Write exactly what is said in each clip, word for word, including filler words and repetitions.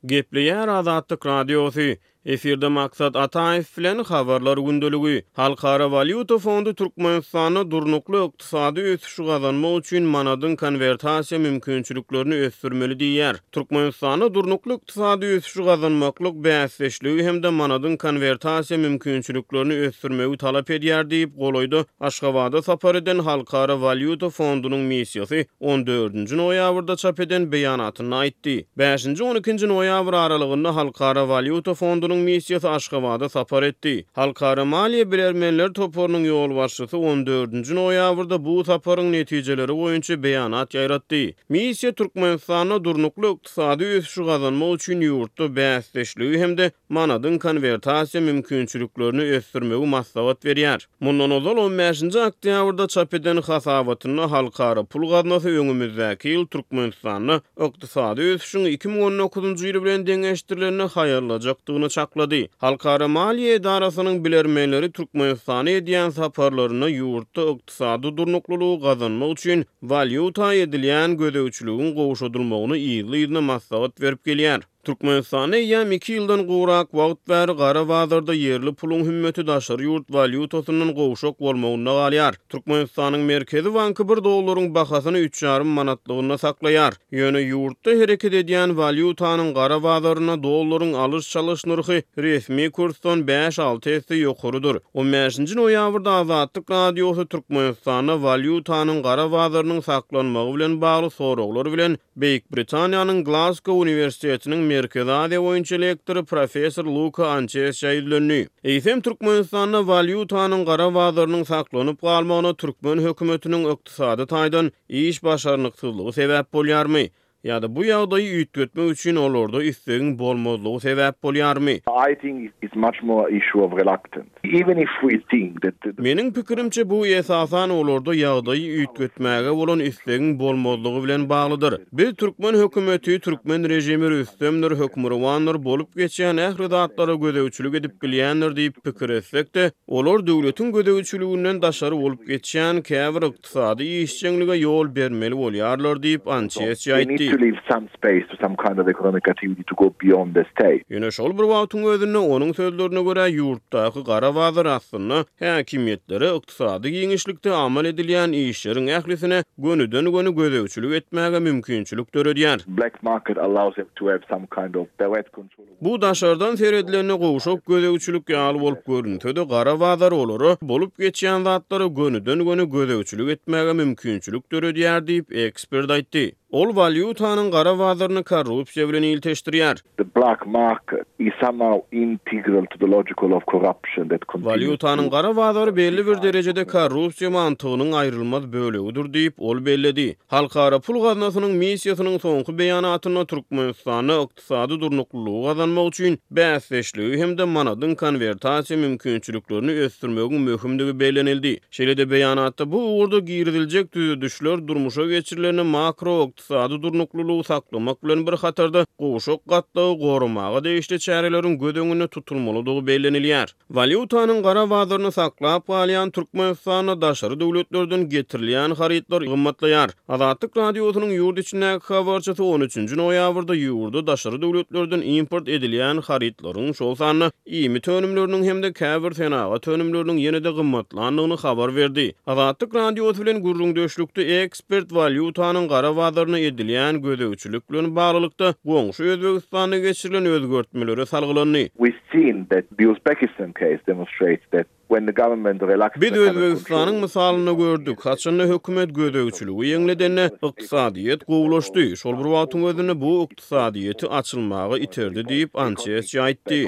Gepleýär Azatlyk Radiosy. Efirde Maksat Ataýew bilen Habarlar gündeligi. Halkara walýuta fondy Türkmenistanda durnukly ykdysady ösüşi gazanmak üçin manadyň konwertasiýa mümkinçiliklerini ösdürmeli diýýär. Türkmenistanda durnukly ykdysady ösüşi gazanmaklyk bäsdeşligi hem-de manadyň konwertasiýa mümkinçiliklerini ösdürmegi talap edýär diýip, golaýda Aşgabada sapar eden Halkara walýuta fondunyň missiýasy on dördünji noýabrda çap eden beýanatynda aýtdy. Bäşinji on ikinji noýabr aralygynda Halkara walýuta fondunyň missiýasy Aşgabada sapar etdi. Halkara maliýe bilermenler toparynyň ýolbaşçysy on dördünji noýabrda bu saparyň netijeleri boýunça beýanat ýaýratdy. Missiýa Türkmenistanda durnukly ykdysady ösüşi gazanmak üçin ýurtda bäsdeşligi hem-de manadyň konwertasiýa mümkinçiliklerini ösdürmegi maslahat berýär. Mundan ozal on bäşinji oktýabrda çap eden hasabatynda Halkara pul gaznasy öňümizdäki ýyl Türkmenistanda ykdysady ösüşiň iki müň on dokuzynjy ýyly bilen deňeşdirilende haýallajakdygyny çaklady. Halkara maliýe edarasynyň bilermenleri Türkmenistana edýän saparlarynda ýurtda ykdysady durnuklylygy gazanmak üçin walýuta edilýän gözegçiligiň gowşadylmagyny yzly-yzyna maslahat berip gelýär. Türkmenistanda eýýäm iki ýyldan gowrak wagt bäri gara bazarda ýerli puluň hümmeti daşary ýurt walýutasyndan gowşak bolmagynda galýar. Türkmenistanyň Merkezi banky bir dollaryň bahasyny üç ýarym manatlygynda saklaýar. Ýöne ýurtda hereket edýän walýutanyň gara bazarynda dollaryň alyş-çalyş nyrhy resmi kursdan bäş-alty esse ýokarydyr. on bäşinji noýabrda Azatlyk Radiosy Türkmenistanda walýutanyň gara bazarynyň saklanmagy bilen bagly soraglar bilen Beýik Britaniýanyň Glasgow uniwersitetiniň Merkezi Aziýa boýunça lektory professor Luka Ançesçä ýüzlendi. Eýsem Türkmenistanda walýutanyň gara bazarynyň saklanyp galmagyna türkmen hökümetiniň ykdysady taýdan iş başarnyksyzlygy sebäp bolýarmy? Ýa-da bu ýagdaýy üýtgetmek üçin olarda islegiň bolmazlygy sebäp bolýarmy? I think it's much more issue of reluctance. Even if we think that the Meniň pikirimçe, bu esasan olarda ýagdaýy üýtgetmäge bolan islegiň bolmazlygy bilen baglydyr. Biz türkmen hökümeti, türkmen režimi rüstemdir, hökmürowandyr, bolup geçýän ähli zatlara gözegçilik edip bilýändir diýip pikir etsek-de, olar döwletiň gözegçiliginden daşary bolup geçýän käbir ykdysady işjeňlige ýol bermeli bolýarlar diýip, Ançesçi aýtdy. to leave some space to some kind of economic activity to go beyond the state. Ýöne şol bir wagtyň özünde onuň sözlerine görä, ýurtdaky gara bazar aslynda häkimiýetlere ykdysady giňişlikde amal edilýän işleriň ählisine gönüden-göni gözegçilik etmäge mümkinçilik döredýär. Black market allows them to have some kind of direct control. Bu daşardan seredilende gowşak gözegçilik ýaly bolup görünse-de, gara bazar olara bolup geçýän zatlara gönüden-göni gözegçilik etmäge mümkinçilik döredýär diýip, ekspert aýtdy. Ol walýutanyň gara bazaryny korrupsiýa bilen ilteşdirýär. The black market is somehow integral to the logical of corruption that continues Walýutanyň to gara bazary belli bir derejede korrupsiýa mantygynyň aýrylmaz bölegidir diýip, ol belledi. Halkara pul gaznasynyň missiýasynyň soňky beýanatynda Türkmenistanda ykdysady durnuklylygy gazanmak üçin bäsdeşligi hem-de manadyň konwertasiýa mümkinçiliklerini ösdürmegiň möhümdigi bellenildi. Şeýle-de beýanatda bu ugurda giriziljek düzedişler durmuşa geçirilende makro ykdysady durnuklylygy saklamak bilen bir hatarda gowşak gatlagy goramaga degişli çäreleriň göz öňünde tutulmalydygy bellenilýär. Walýutanyň gara bazaryny saklap galýan Türkmenistanda daşary döwletlerden getirilýän harytlar gymmatlaýar. Azatlyk Radiosynyň ýurt içindäki habarçysy on üçünji noýabrda ýurda daşary döwletlerden import edilýän harytlaryň, şol sanda iýmit önümleriniň hem-de käbir senagat önümleriniň ýene-de gymmatlandygyny habar berdi. Azatlyk Radiosy bilen gürrüňdeşlikde ekspert walýutanyň gara bazaryna edilýän gözegçilik bilen baglylykda goňşy Özbegistanda geçirilen özgertmelere salgylandy. We've seen that the Uzbekistan case demonstrates that when the government relaxed Biz the kind of Özbegistanyň control mysalynda gördük, haçanda hökümet gözegçiligi ýeňledende ykdysadyýet gowulaşdy. Şol bir wagtyň özünde bu ykdysadyýeti açylmaga iterdi diýip, Ançesçi aýtdy.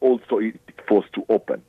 Also it forced to open.